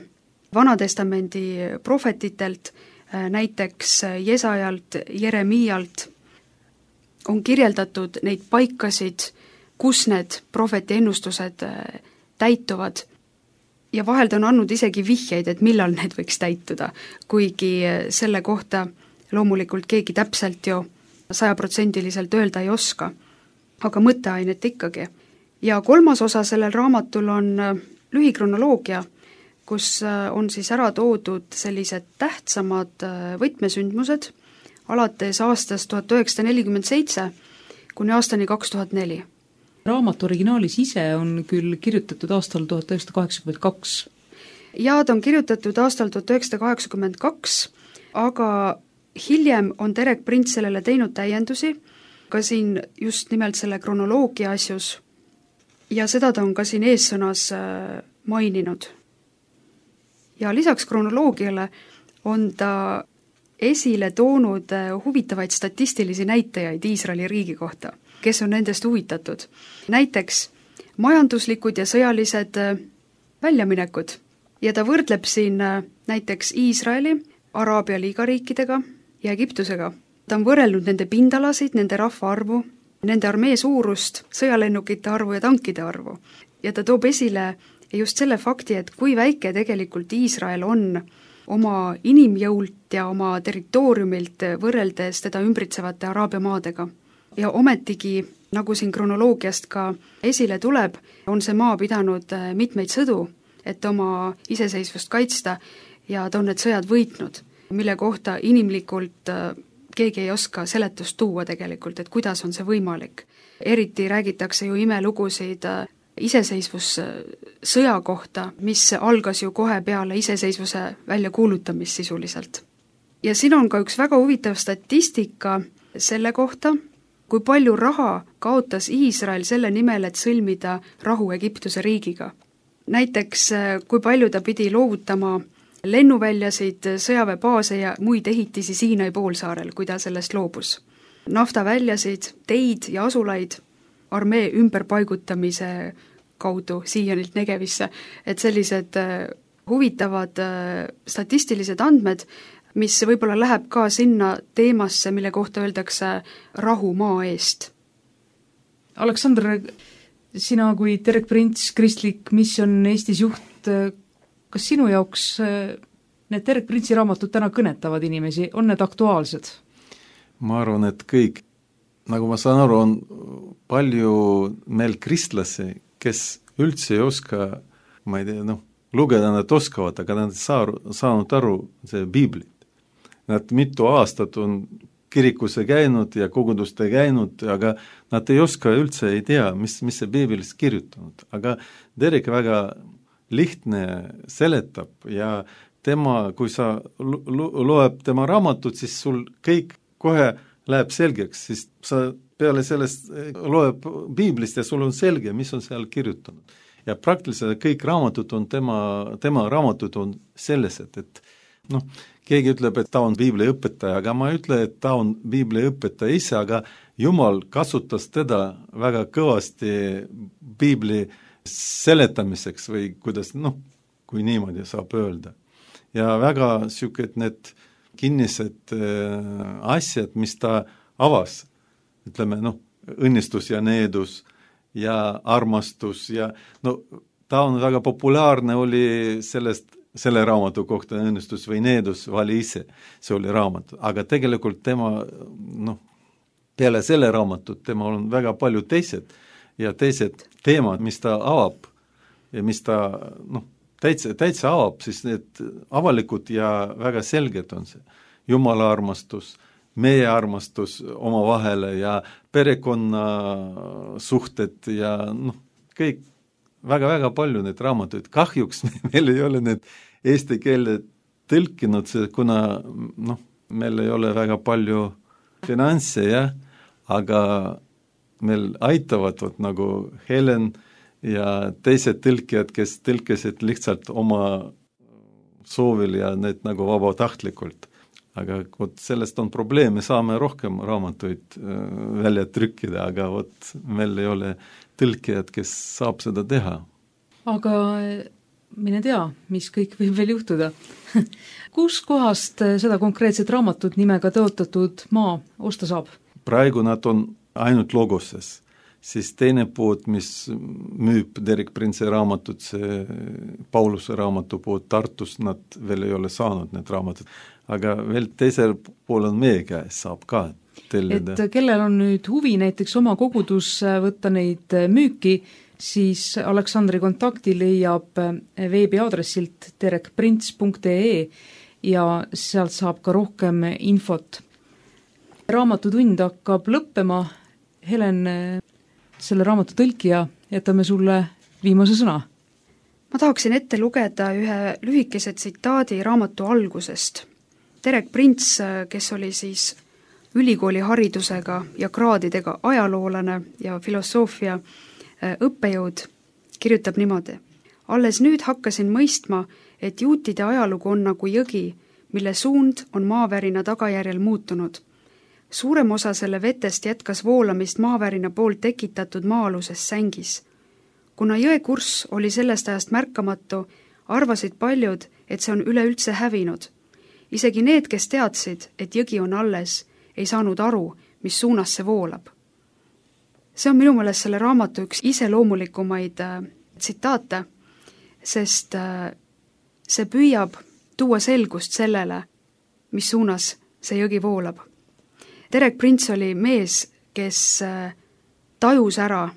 Vanatestamendi prohvetitelt, näiteks Jesajalt, Jeremiialt, on kirjeldatud neid paikasid, kus need prohveti ennustused täituvad ja vahel ta on andnud isegi vihjeid, et millal need võiks täituda, kuigi selle kohta loomulikult keegi täpselt ju sajaprotsendiliselt öelda ei oska, aga mõtteainet ikkagi. Ja kolmas osa sellel raamatul on lühikronoloogia, kus on siis ära toodud sellised tähtsamad võtmesündmused alates aastast tuhat üheksasada nelikümmend seitse kuni aastani kaks tuhat neli. Raamatu originaalis ise on küll kirjutatud aastal tuhat üheksasada kaheksakümmend kaks. Jaa, ta on kirjutatud aastal tuhat üheksasada kaheksakümmend kaks, aga hiljem on Derek Prince sellele teinud täiendusi, ka siin just nimelt selle kronoloogia asjus, ja seda ta on ka siin eessõnas maininud. Ja lisaks kronoloogiale on ta esile toonud huvitavaid statistilisi näitajaid Iisraeli riigi kohta, kes on nendest huvitatud. Näiteks majanduslikud ja sõjalised väljaminekud. Ja ta võrdleb siin näiteks Iisraeli, Araabia liigariikidega ja Egiptusega. Ta on võrrelnud nende pindalasid, nende rahva arvu, nende armee suurust, sõjalennukite arvu ja tankide arvu. Ja ta toob esile just selle fakti, et kui väike tegelikult Iisrael on oma inimjõult ja oma territooriumilt võrreldes teda ümbritsevate Araabia maadega. Ja ometigi, nagu siin kronoloogiast ka esile tuleb, on see maa pidanud mitmeid sõdu, et oma iseseisvust kaitsta ja ta on need sõjad võitnud, mille kohta inimlikult keegi ei oska seletust tuua tegelikult, et kuidas on see võimalik. Eriti räägitakse ju imelugusid iseseisvussõja kohta, mis algas ju kohe peale iseseisvuse väljakuulutamist sisuliselt. Ja siin on ka üks väga huvitav statistika selle kohta, kui palju raha kaotas Iisrael selle nimel, et sõlmida rahu Egiptuse riigiga. Näiteks, kui palju ta pidi loovutama lennuväljasid, sõjaväebaase ja muid ehitisi Siinai poolsaarel, kui ta sellest loobus. Naftaväljasid, teid ja asulaid armee ümberpaigutamise kaudu siianilt Negevisse, et sellised huvitavad statistilised andmed, mis võib-olla läheb ka sinna teemasse, mille kohta öeldakse rahu maa eest. Aleksandr, sina kui Derek Prince, kristlik misjon Eestis juht, kas sinu jaoks need Derek Prince'i raamatud täna kõnetavad inimesi, on need aktuaalsed? Ma arvan, et kõik. Nagu ma saan aru, on palju meil kristlasi, kes üldse ei oska, ma ei tea, noh, lugeda nad oskavad, aga nad saa, saanud aru see piiblit. Nad mitu aastat on kirikusse käinud ja koguduste käinud, aga nad ei oska üldse, ei tea, mis, mis see piiblis kirjutanud. Aga Derek väga lihtne seletab ja tema, kui sa loeb tema raamatut, siis sul kõik kohe läheb selgeks, siis sa peale sellest loeb piiblist ja sul on selge, mis on seal kirjutanud. Ja praktiliselt kõik raamatud on tema, tema raamatud on sellised, et noh, keegi ütleb, et ta on biibliõpetaja, aga ma ütle, et ta on biibliõpetaja ise, aga Jumal kasutas teda väga kõvasti piibli seletamiseks või kuidas, noh, kui niimoodi saab öelda. Ja väga siuked need kinnised asjad, mis ta avas, ütleme, noh, õnnistus ja needus ja armastus ja no ta on väga populaarne oli sellest, selle raamatu kohta õnnistus või needus vali ise, see oli raamat, aga tegelikult tema, noh, peale selle raamatut tema on väga palju teised ja teised teemad, mis ta avab ja mis ta noh, täitsa, täitsa avab, siis need avalikud ja väga selged on see. Jumala armastus, meie armastus omavahele ja perekonna suhted ja noh, kõik väga-väga palju need raamatuid. Kahjuks meil ei ole need eesti keele tõlkinud, kuna noh, meil ei ole väga palju finantse, jah, aga meil aitavad võt, nagu Helen ja teised tõlkijad, kes tõlkisid lihtsalt oma soovil ja need nagu vabatahtlikult. Aga võt, sellest on probleem, me saame rohkem raamatuid äh, välja trükkida, aga võt, meil ei ole tõlkijad, kes saab seda teha. Aga mine tea, mis kõik võib veel juhtuda. Kus kohast seda konkreetset raamatut nimega tõotatud maa osta saab? Praegu nad on ainult Logoses, siis teine pood, mis müüb Derek Prince'i raamatut, see Pauluse raamatu pood Tartus, nad veel ei ole saanud need raamatud, aga veel teisel pool on meie käes, saab ka tellida. Et kellel on nüüd huvi näiteks oma kogudus võtta neid müüki, siis Aleksandri kontakti leiab veebiaadressilt derek prints punkt ee ja sealt saab ka rohkem infot. Raamatutund hakkab lõppema. Helen, selle raamatu tõlkija, jätame sulle viimase sõna. Ma tahaksin ette lugeda ühe lühikese tsitaadi raamatu algusest. Derek Prince, kes oli siis ülikooli haridusega ja kraadidega ajaloolane ja filosoofia õppejõud, kirjutab niimoodi. Alles nüüd hakkasin mõistma, et juutide ajalugu on nagu jõgi, mille suund on maavärina tagajärjel muutunud. Suurem osa selle vetest jätkas voolamist maavärina poolt tekitatud maa-aluses sängis. Kuna jõe kurss oli sellest ajast märkamatu, arvasid paljud, et see on üleüldse hävinud. Isegi need, kes teadsid, et jõgi on alles, ei saanud aru, mis suunas see voolab. See on minu meelest selle raamatu üks iseloomulikumaid äh, tsitaate, sest äh, see püüab tuua selgust sellele, mis suunas see jõgi voolab. Derek Prince oli mees, kes äh, tajus ära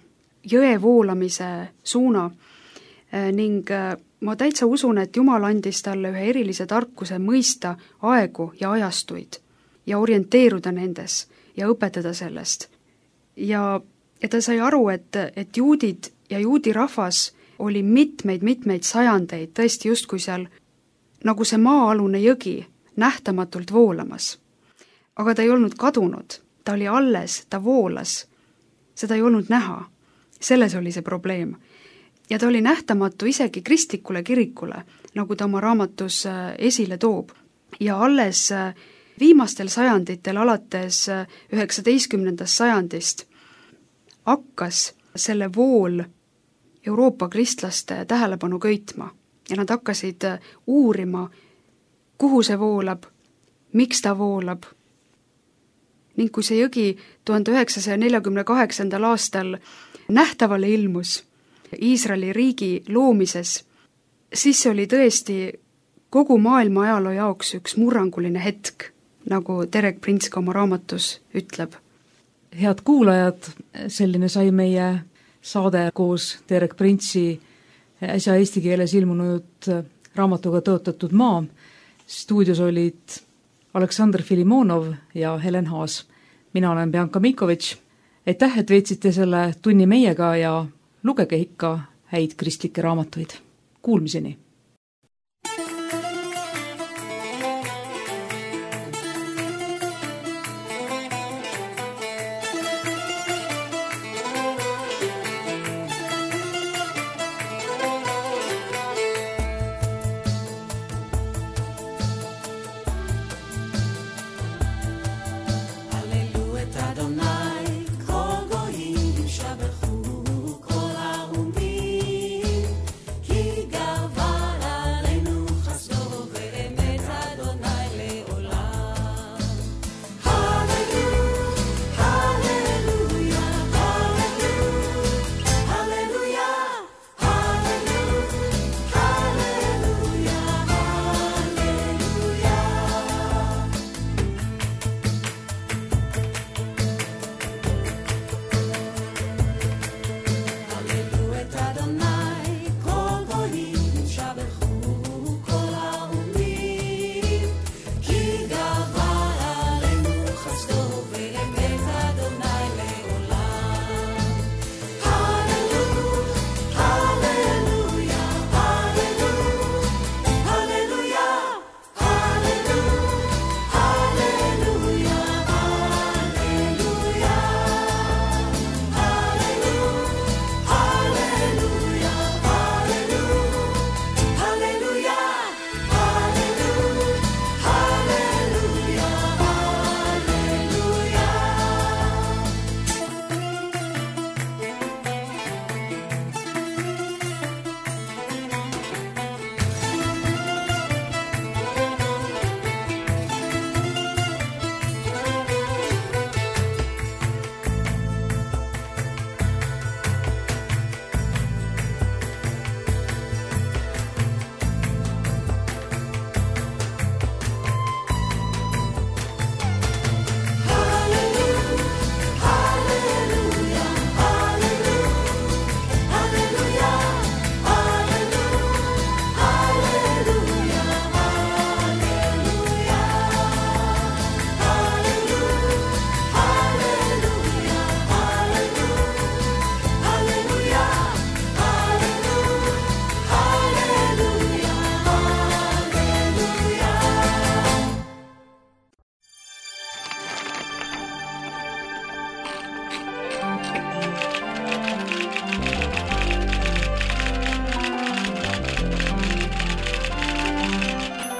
jõe voolamise suuna äh, ning äh, ma täitsa usun, et Jumal andis talle ühe erilise tarkuse mõista aegu ja ajastuid ja orienteeruda nendes ja õpetada sellest. Ja, ja ta sai aru, et, et juudid ja juudi rahvas oli mitmeid-mitmeid sajandeid tõesti justkui seal nagu see maa-alune jõgi nähtamatult voolamas. Aga ta ei olnud kadunud, ta oli alles, ta voolas, seda ei olnud näha. Selles oli see probleem. Ja ta oli nähtamatu isegi kristlikule kirikule, nagu ta oma raamatus esile toob. Ja alles viimastel sajanditel, alates üheksateistkümnendast sajandist, hakkas selle vool Euroopa kristlaste tähelepanu köitma. Ja nad hakkasid uurima, kuhu see voolab, miks ta voolab. Ning kui see jõgi tuhande üheksasaja neljakümne kaheksandal aastal nähtavale ilmus Iisraeli riigi loomises, siis see oli tõesti kogu maailma ajaloo jaoks üks murranguline hetk, nagu Derek Prince ka oma raamatus ütleb. Head kuulajad, selline sai meie saade koos Derek Prince'i äsja eesti keeles ilmunud raamatuga tõotatud maa. Stuudios olid Aleksandr Filimonov ja Helen Haas. Mina olen Bianca Mikovitš. Aitäh, et veetsite selle tunni meiega ja lugege ikka häid kristlikke raamatuid. Kuulmiseni! Gava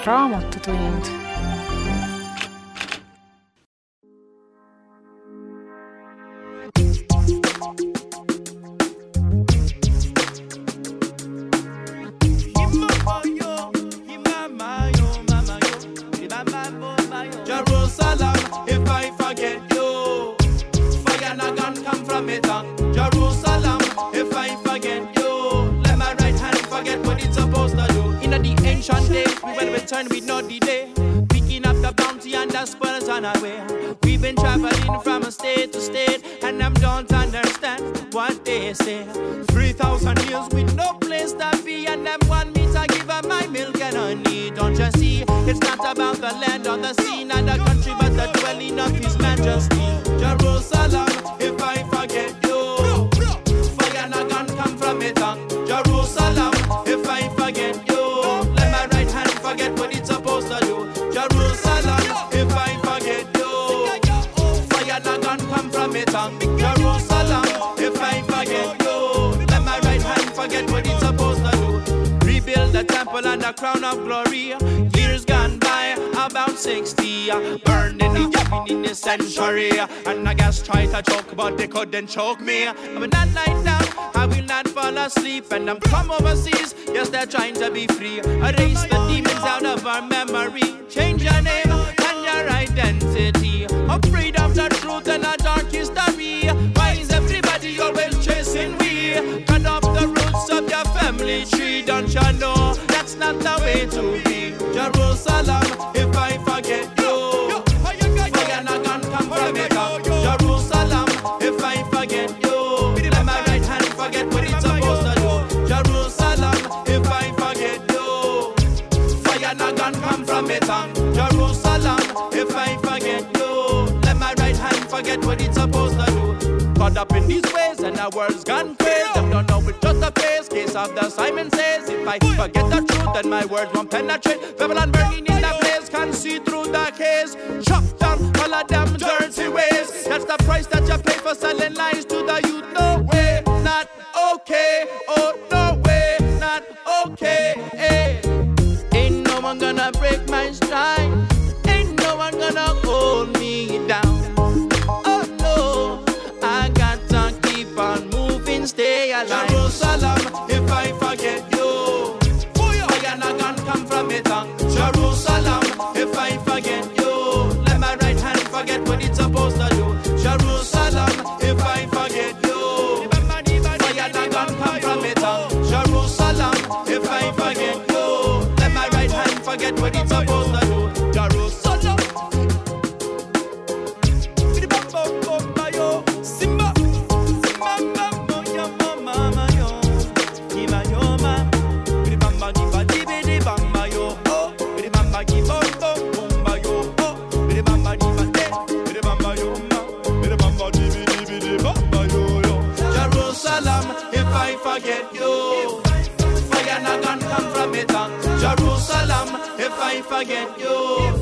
Raamatutund. Jerusalem, if I forget you, fire and a gun come from it. Jerusalem, if I forget you, let my right hand forget what it's supposed to do. In the ancient days, we will return with no delay, picking up the bounty and the spoils on our way. We've been traveling from state to state, and I don't understand what they say. Three thousand years with no place to be, and them want me to give up my milk and honey. Don't you see? It's not about the land or the sea, not the country, but the dwelling of His Majesty. Jerusalem, if I forget you, fire and a gun come from it. Jerusalem, if I forget you, let my right hand forget what it's supposed to do. Jerusalem, if I forget you, fire and a gun come from it. Jerusalem, if I forget you, let my right hand forget what it's supposed to do. Rebuild the temple and the crown of glory. Years gone by, about sixty, burned in the Yemen in the century. And I guess try to choke, but they couldn't choke me. I will not lie down, I will not fall asleep. And I'm from overseas, yes, they're trying to be free. Erase the demons out of our memory. Change your name and your identity. Afraid of the truth and a dark history. Why is everybody always chasing we? Cut off the roots of your family tree. Don't you know that's not the way to be? Jerusalem, if I forget you, fire and a gun come from it. Jerusalem, if I forget you, let my right hand forget what it's supposed to do. Jerusalem, if I forget you, fire and a gun come from it. Jerusalem, if I forget you, let my right hand forget what it's supposed to do. Caught up in these ways and our world's gone crazy. Them don't know it's just a phase. Case of the Simon says, if I forget the truth, then my words won't penetrate. Babylon burning in the place, can see through the case. Chop down all of them dirty ways. That's the price that you pay for selling lies to the youth. No way, not okay. Oh, no way, not okay. Hey. Ain't no one gonna break my stride. Ain't no one gonna hold me down. Oh no, I got to keep on moving, stay alive. Jerusalem, if I forget you, fire and a gun come from it. Jerusalem, if I forget you, let my right hand forget what it's supposed to do. Jerusalem, if I forget you, fire and a gun come from it. Jerusalem, if I forget you, let my right hand forget what it's supposed to do. Jerusalem. Jerusalem, if I forget you, fire and a gun come from it. Jerusalem, if I forget you,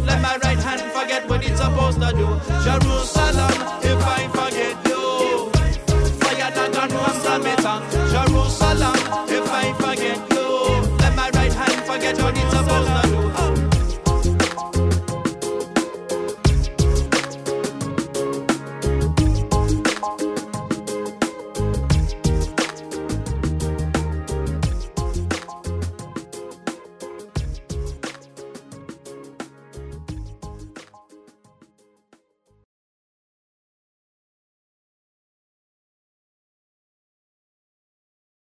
let my right hand forget what it's supposed to do. Jerusalem, if I